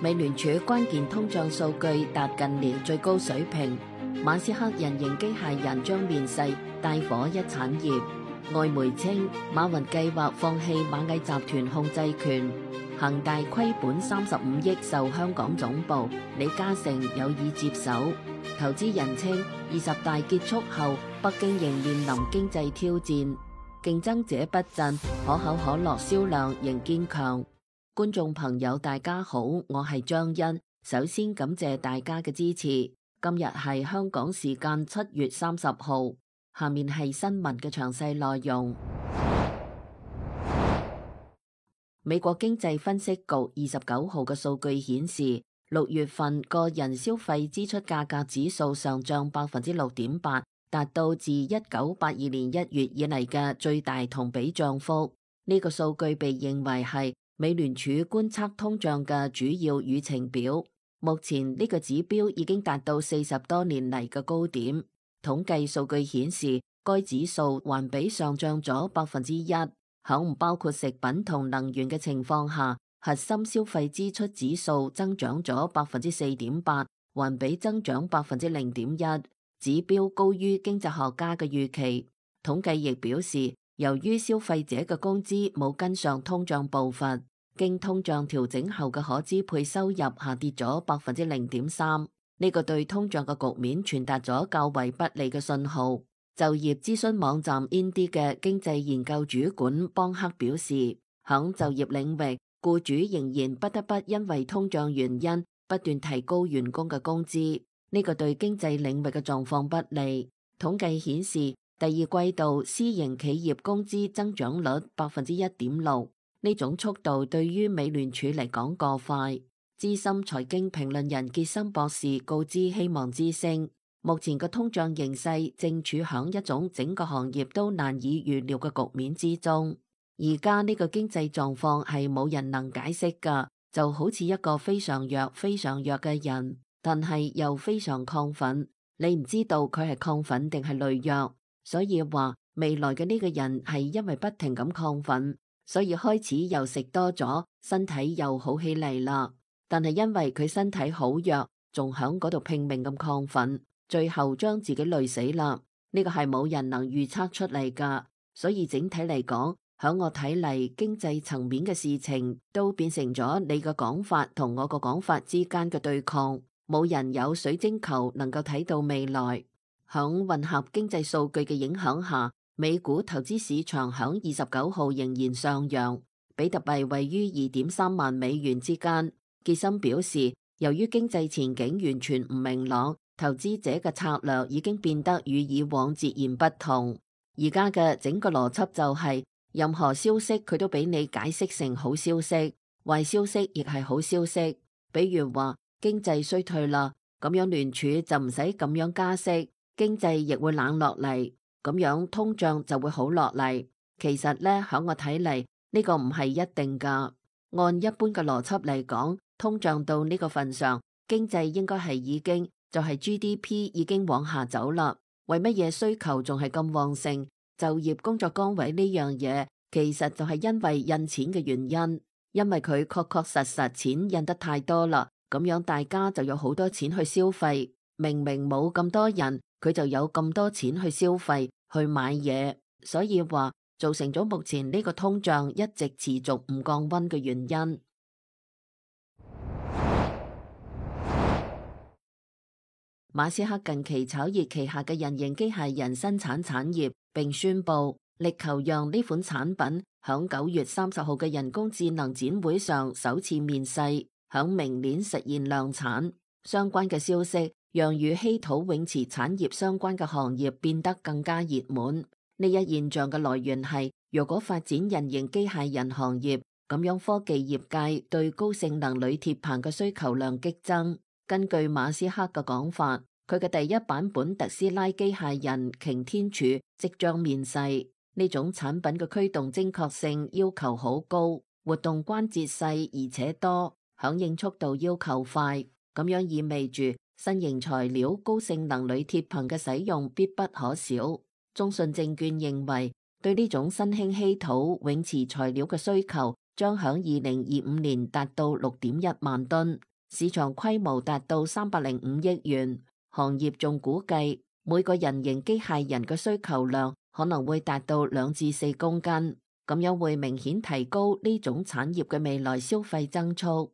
美聯儲關鍵通脹數據達近年最高水平，馬斯克人形機械人將面世帶火一產業。外媒稱馬雲計劃放棄螞蟻集團控制權，恒大虧本35億售香港總部，李嘉誠有意接手。投資人稱20大結束後，北京仍面臨經濟挑戰，競爭者不振，可口可樂銷量仍堅強。觀眾朋友大家好，我係張欣，首先感謝大家嘅支持。今日係香港時間7月30號，下面係新聞嘅詳細內容。美國經濟分析局29號嘅數據顯示，6月份個人消費支出價格指數上漲6.8%，達到自1982年1月以嚟嘅最大同比漲幅。呢個數據被認為係美聯儲觀測通脹嘅主要議程表。目前呢個指標已經達到40多年嚟嘅高點。統計數據顯示，該指數環比上漲咗1%，喺唔包括食品同能源嘅情況下，核心消費支出指數增長咗4.8%，環比增長0.1%，指標高於經濟學家嘅預期。統計亦表示，由於消費者嘅工資冇跟上通脹步伐，經通脹調整後嘅可支配收入下跌咗0.3%。呢個對通脹嘅局面傳達咗較為不利嘅信號。就業諮詢網站 Indeed 嘅經濟研究主管邦克表示，響就業領域，僱主仍然不得不因為通脹原因不斷提高員工嘅工資，呢個對經濟領域嘅狀況不利。統計顯示，第二季度私營企業工資增長率1.6%，呢種速度對於美聯儲嚟講過快。資深財經評論人傑森博士告知希望之聲，目前嘅通脹形勢正處響一種整個行業都難以預料嘅局面之中。而家呢個經濟狀況係冇人能解釋㗎，就好似一個非常弱嘅人，但係又非常亢奮，你唔知道佢係亢奮定係累弱。所以話未來嘅呢個人係因為不停咁亢奮，所以開始又食多咗，身體又好起嚟啦。但係因為佢身體好弱，仲響嗰度拼命咁亢奮，最後將自己累死啦。呢個係冇人能預測出嚟噶。所以整體嚟講，響我睇嚟，經濟層面嘅事情都變成咗你嘅講法同我個講法之間嘅對抗。冇人有水晶球能夠睇到未來。響混合經濟數據嘅影響下，美股投資市場響29號仍然上揚，比特幣位於2.3萬美元之間。傑森表示，由於經濟前景完全唔明朗，投資者嘅策略已經變得與以往截然不同。而家嘅整個邏輯就係，任何消息佢都俾你解釋成好消息，壞消息亦係好消息。比如話經濟衰退啦，咁樣聯儲就唔使咁樣加息。經濟亦會冷落嚟，咁樣通脹就會好落嚟。其實呢，喺我睇嚟，呢個唔係一定噶。按一般嘅邏輯嚟講，通脹到呢個份上，經濟應該係已經就係 GDP 已經往下走啦。為乜嘢需求仲係咁旺盛？就業工作崗位呢樣嘢，其實就係因為印錢嘅原因，因為佢確實錢印得太多啦，咁樣大家就有好多錢去消費。明明冇咁多人，佢就有咁多錢去消費去買嘢，所以話造成咗目前呢個通脹一直持續唔降溫嘅原因。馬斯克近期炒熱旗下嘅人形機械人生產產業，並宣布力求讓呢款產品響9月30號嘅人工智能展會上首次面世，響明年實現量產。相關嘅消息讓與稀土永磁產業相關嘅行業變得更加熱門。呢一現象嘅來源係，如果發展人形機械人行業，咁樣科技業界對高性能鋁鐵棚嘅需求量激增。根據馬斯克嘅講法，佢嘅第一版本特斯拉機械人擎天柱即將面世。呢種產品嘅驅動精確性要求好高，活動關節細而且多，響應速度要求快。咁樣意味住新型材料高性能鋁鐵棚嘅使用必不可少。中信證券認為，對呢種新興稀土永磁材料嘅需求將響2025年達到6.1萬噸。市場規模達到305億元。行業仲估計每個人形機械人嘅需求量可能會達到2至4公斤，咁樣會明顯提高呢種產業嘅未來消費增速。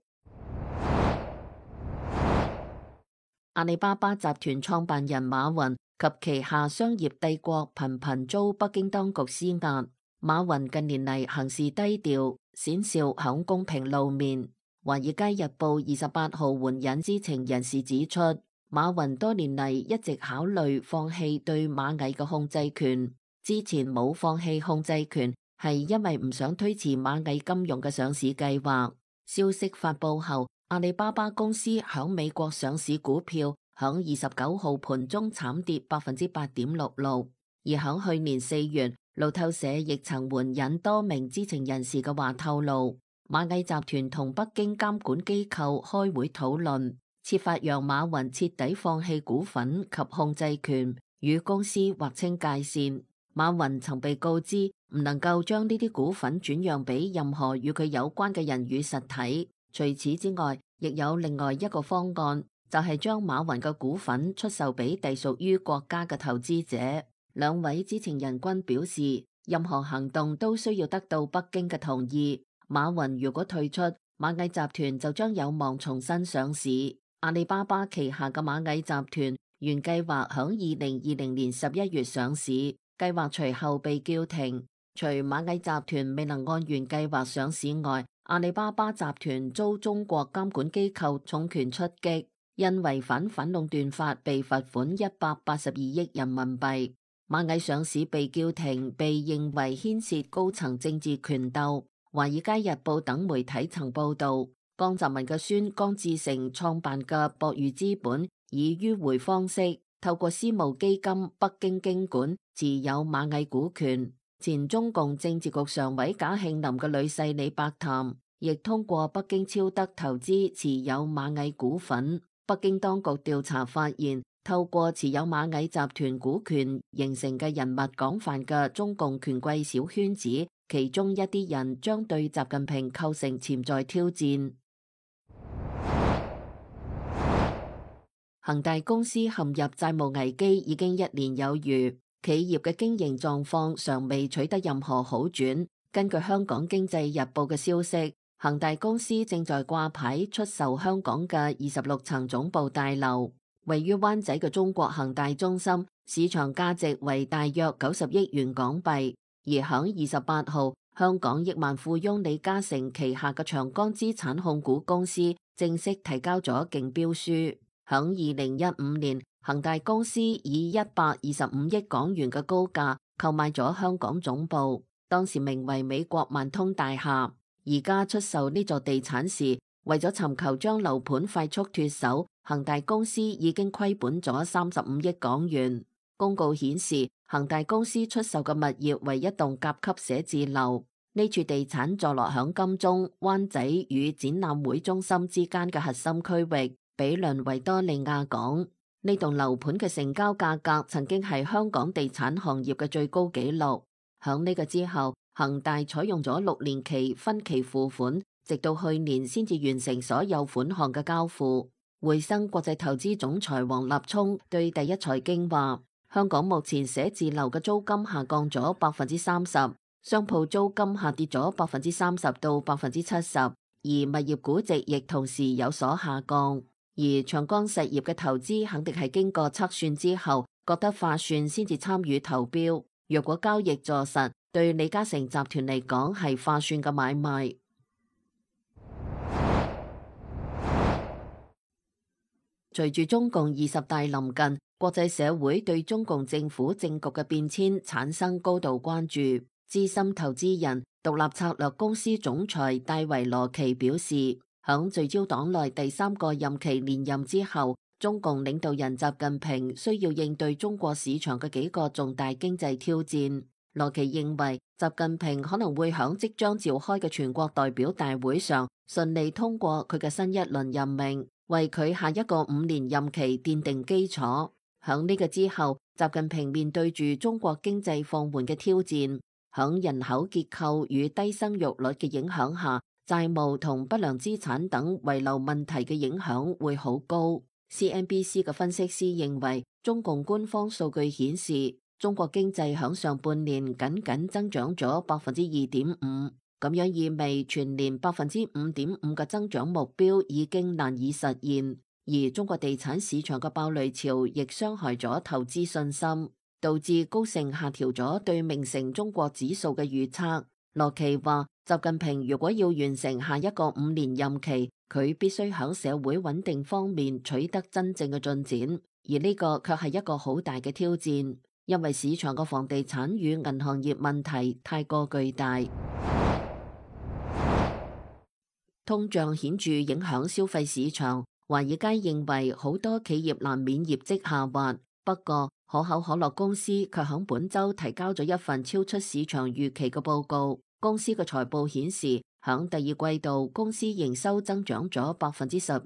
阿里巴巴集團創辦人馬雲及旗下商業帝國頻頻遭北京當局施壓。馬雲近年嚟行事低調，鮮少響公屏露面。華爾街日報28號援引知情人士指出，馬雲多年嚟一直考慮放棄對螞蟻嘅控制權。之前冇放棄控制權，係因為唔想推遲螞蟻金融嘅上市計劃。消息發佈後，阿里巴巴公司響美國上市股票響29號盤中慘跌8.66%。而響去年4月，路透社亦曾援引多名知情人士嘅話透露，螞蟻集團同北京監管機構開會討論，設法讓馬雲徹底放棄股份及控制權，與公司劃清界線。馬雲曾被告知唔能夠將呢啲股份轉讓俾任何與佢有關嘅人與實體。除此之外，亦有另外一個方案，就係將馬雲嘅股份出售俾隸屬於國家嘅投資者。兩位知情人均表示，任何行動都需要得到北京嘅同意。馬雲如果退出，螞蟻集團就將有望重新上市。阿里巴巴旗下嘅螞蟻集團原計劃響2020年11月上市，計劃隨後被叫停。除螞蟻集團未能按原計劃上市外，阿里巴巴集團遭中國監管機構重拳出擊，因違反反壟斷法被罰款182億人民幣。螞蟻上市被叫停，被認為牽涉高層政治權鬥。華爾街日報等媒體曾報道，江澤民嘅孫江志成創辦嘅博裕資本以迂回方式透過私募基金北京經管持有螞蟻股權。前中共政治局常委賈慶林嘅女婿李伯潭亦通過北京超德投資持有螞蟻股份。北京當局調查發現，透過持有螞蟻集團股權形成嘅人脈廣泛嘅中共權貴小圈子，其中一啲人將對習近平構成潛在挑戰。恒大公司陷入債務危機已經1年有餘。企業嘅經營狀況尚未取得任何好轉。根據香港經濟日報嘅消息，恒大公司正在掛牌出售香港嘅26層總部大樓，位於灣仔嘅中國恒大中心，市場價值為大約90億元港幣。而響28號，香港億萬富翁李嘉誠旗下嘅長江資產控股公司正式提交咗競標書。響2015年，恒大公司以125億港元嘅高價購買咗香港總部，當時名為美國萬通大廈。而家出售呢座地產時，為咗尋求將樓盤快速脫手，恒大公司已經虧本咗35億港元。公告顯示，恒大公司出售嘅物業為一棟甲級寫字樓，呢處地產坐落響金鐘、灣仔與展覽會中心之間嘅核心區域，毗鄰維多利亞港。呢棟樓盤嘅成交價格曾經係香港地產行業嘅最高紀錄。響呢個之後，恒大採用咗6年期分期付款，直到去年先至完成所有款項嘅交付。匯生國際投資總裁王立聰對第一財經話，香港目前寫字樓嘅租金下降咗30%，商鋪租金下跌咗30%到70%，而物業估值亦同時有所下降。而長江實業嘅投資肯定係經過測算之後覺得划算先至參與投標。若果交易坐實，對李嘉誠集團嚟講係划算嘅買賣。隨住中共20大臨近，國際社會對中共政府政局嘅變遷產生高度關注。資深投資人、獨立策略公司總裁戴維羅奇表示，響聚焦黨內第3個任期連任之後，中共領導人習近平需要應對中國市場嘅幾個重大經濟挑戰。羅奇認為，習近平可能會響即將召開嘅全國代表大會上順利通過佢嘅新一輪任命，為佢下一個5年任期奠定基礎。響呢個之後，習近平面對住中國經濟放緩嘅挑戰，響人口結構與低生育率嘅影響下，債務同不良資產等遺留問題嘅影響會好高。CNBC 嘅分析師認為，中共官方數據顯示，中國經濟響上半年僅僅增長咗2.5%，咁樣意味全年5.5%嘅增長目標已經難以實現。而中國地產市場嘅爆雷潮亦傷害咗投資信心，導致高盛下調咗對明晟中國指數嘅預測。羅奇話，習近平如果要完成下一個5年任期，佢必須喺社會穩定方面取得真正嘅進展，而呢個卻係一個好大嘅挑戰，因為市場嘅房地產與銀行業問題太過巨大。通脹顯著影響消費市場，華爾街認為好多企業難免業績下滑，不過可口可樂公司卻喺本週提交咗一份超出市場預期嘅報告。公司嘅財報顯示，響第二季度公司營收增長咗12%，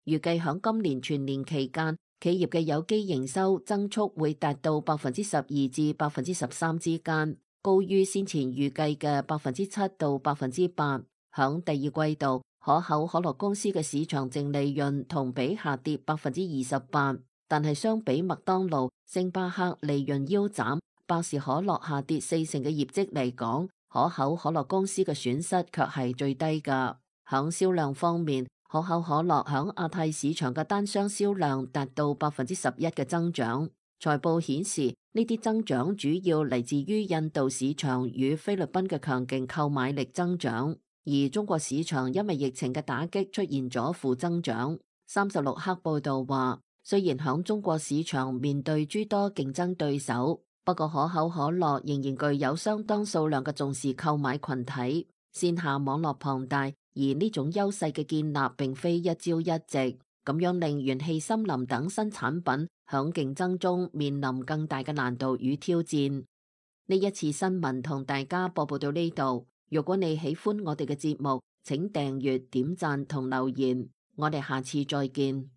預計響今年全年期間，企業嘅有機營收增速會達到12%至13%之間，高於先前預計嘅7%到8%。響第二季度，可口可樂公司嘅市場淨利潤同比下跌28%，但係相比麥當勞、星巴克利潤腰斬，百事可樂下跌40%嘅業績嚟講，可口可樂公司嘅損失卻係最低㗎。響銷量方面，可口可樂響亞太市場嘅單箱銷量達到11%嘅增長。財報顯示，呢啲增長主要嚟自於印度市場與菲律賓嘅強勁購買力增長。而中國市場因為疫情嘅打擊出現咗負增長。36氪報道話，雖然響中國市場面對諸多競爭對手，不過可口可樂仍然具有相當數量嘅重視購買群體，線下網絡龐大，而呢種優勢嘅建立並非一朝一夕，咁樣令元氣森林等新產品響競爭中面臨更大嘅難度與挑戰。呢一次新聞同大家播報到呢度。如果你喜歡我哋嘅節目，請訂閱、點讚同留言。我哋下次再見。